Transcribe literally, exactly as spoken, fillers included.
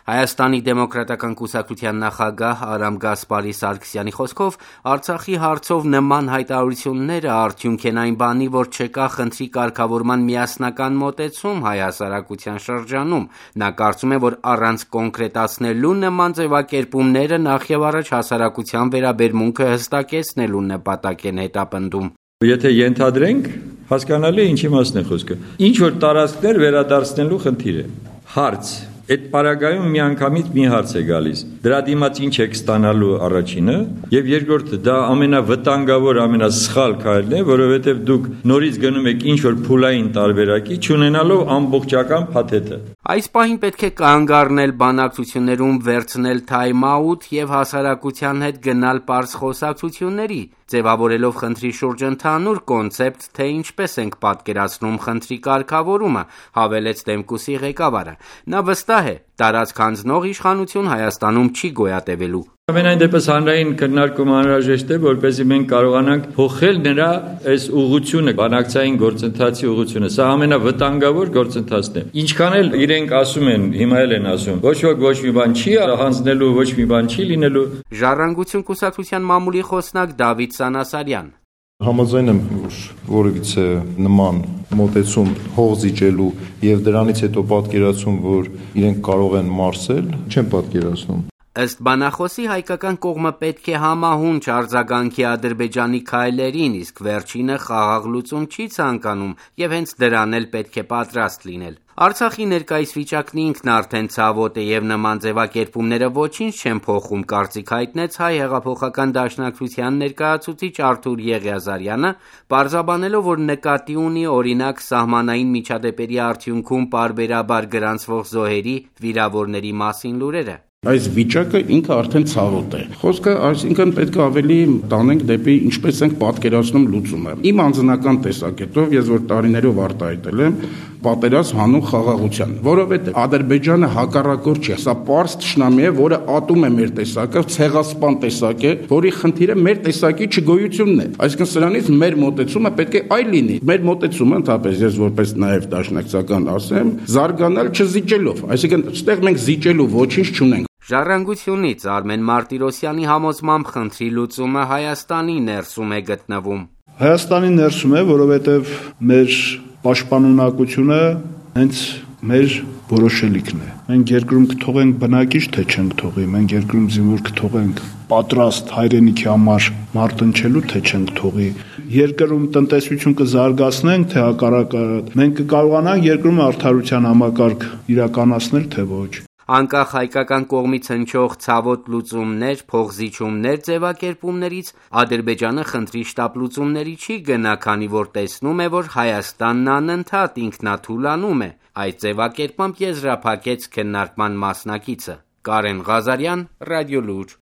Հայաստանի դեմոկրատական կուսակցության նախագահ Արամ Գասպարի Սարգսյանի խոսքով Արցախի հարցով նման հայտարարությունները արդյունք են այն բանի, որ չկա խնդրի կարգավորման միասնական մոտեցում հայ հասարակության շրջանում։ Նա կարծում է, որ առանց կոնկրետացնելու նման ձևակերպումները նախևառաջ հասարակության վերաբերմունքը հստակեցնելու նպատակ են հետապնդում։ Եթե ենթադրենք, հասկանալի է ինչի մասն է խոսքը։ Ինչ որ տարածքներ վերադարձնելու խնդիր է։ Հարց. Այդ պարագայում միանգամից մի հարց է գալիս. դրա դիմաց ինչ եք ստանալու առաջինը, եւ երկրորդը դա ամենավտանգավոր, ամենասխալ քայլն է, որովհետեւ դուք նորից գնում եք ինչ որ փուլային տարբերակի, չունենալով ամբողջական փաթեթը։ Այս պահին պետք է կանգ առնել բանակցություններում, վերցնել թայմ-աութ եւ հասարակության հետ գնալ պարզ խոսակցությունների, ձևավորելով խնդրի շուրջ ընդհանուր կոնցեպտ, թե ինչպես ենք պատկերացնում խնդրի կարգավորումը, հավելեց Դեմկուսի ղեկավարը։ Նա վստահ է, տարածք հանձնող իշխանություն Հայաստանում չի գոյատևելու։ Ամենայն դեպս հանրային քննարկում անհրաժեշտ է, որպեսզի մենք կարողանանք փոխել նրա այս ուղղությունը, բանակցային գործընթացի ուղղությունը։ Սա ամենավտանգավոր գործընթացն է։ Ինչքան էլ իրենք ասում են, հիմա էլ են ասում, ոչ ոք ոչ մի բան չի հանձնելու, ոչ մի բան չի լինելու։ Ժառանգություն կուսակցության մամուլի խոսնակ Դավիթ Սանասարյան։ Համաձայն եմ, որ որևիցե նման մոտեցում հող զիջելու եւ դրանից հետո պատկերացում, որ իրենք կարող են մարսել, չեմ պատկերացնում։ Ըստ բանախոսի հայկական կողմը պետք է համահունչ արձագանքի Ադրբեջանի քայլերին, իսկ վերջինը խաղաղ լուծում չի ցանկանում եւ հենց դրան էլ պետք է պատրաստ լինել։ Արցախի ներկայիս վիճակն ինքն արդեն ցավոտ է եւ նման ձևակերպումները ոչինչ չեն փոխում, կարծիք հայտնեց Հայ հեղափոխական դաշնակցության ներկայացուցիչ Արթուր Եղիազարյանը, պարզաբանելով, որ նկատի ունի օրինակ սահմանային միջադեպերի արդյունքում պարբերաբար գրանցվող զոհերի, վիրավորների մասին լուրերը։ Այս վիճակը ինքը արդեն ցավոտ է։ Խոսքը, այսինքն պետք է ավելի տանենք դեպի ինչպես ենք պատկերացնում լուծումը։ Իմ անձնական տեսակետով, ես որ տարիներով արտահայտել եմ, պատերազմ հանուն խաղաղության, որովհետև Ադրբեջանը հակառակորդ չէ, սա պարզ թշնամի է, որը ատում է մեր տեսակը, ցեղասպան տեսակ է, որի խնդիրը մեր տեսակի չգոյությունն է։ Այսինքն սրանից մեր մոտեցումը պետք է այլ լինի։ Մեր մոտեցումը, ընդհանրապես ես որպես նաև դաշնակցական ասեմ, զարգանալ չզիջելով, այսինքն այստեղ մենք զիջելու ոչինչ չունենք։ Ժառանգությունից Արմեն Մարտիրոսյանի համոզմամբ խնդրի լուծումը Հայաստանի ներսում է գտնվում։ Հայաստանի ներսում է, որովհետև մեր պաշտպանունակությունը հենց մեր որոշելիքն է։ Մենք երկրում կթողենք բնակիչ, թե չենք թողի, մենք երկրում զինվոր կթողենք պատրաստ հայրենիքի համար մարտնչելու, թե չենք թողի։ Երկրում տնտեսություն կզարգացնենք, թե հակառակը, մենք կկարողանանք երկրում արդարության համակարգ իրականացնել, թե ոչ։ Անկախ հայկական կողմից հնչող ցավոտ լուծումներ, փոխզիջումներ ձևակերպումներից Ադրբեջանը խնդրի շտապ լուծումների չի գնա, քանի որ տեսնում է, որ Հայաստանն անընդհատ ինքնաթուլանում է։ Այդ ձևակերպմամբ եզրափակեց քննարկման մասնակիցը։ Կարեն Ղազարյան, Ռադիոլուր։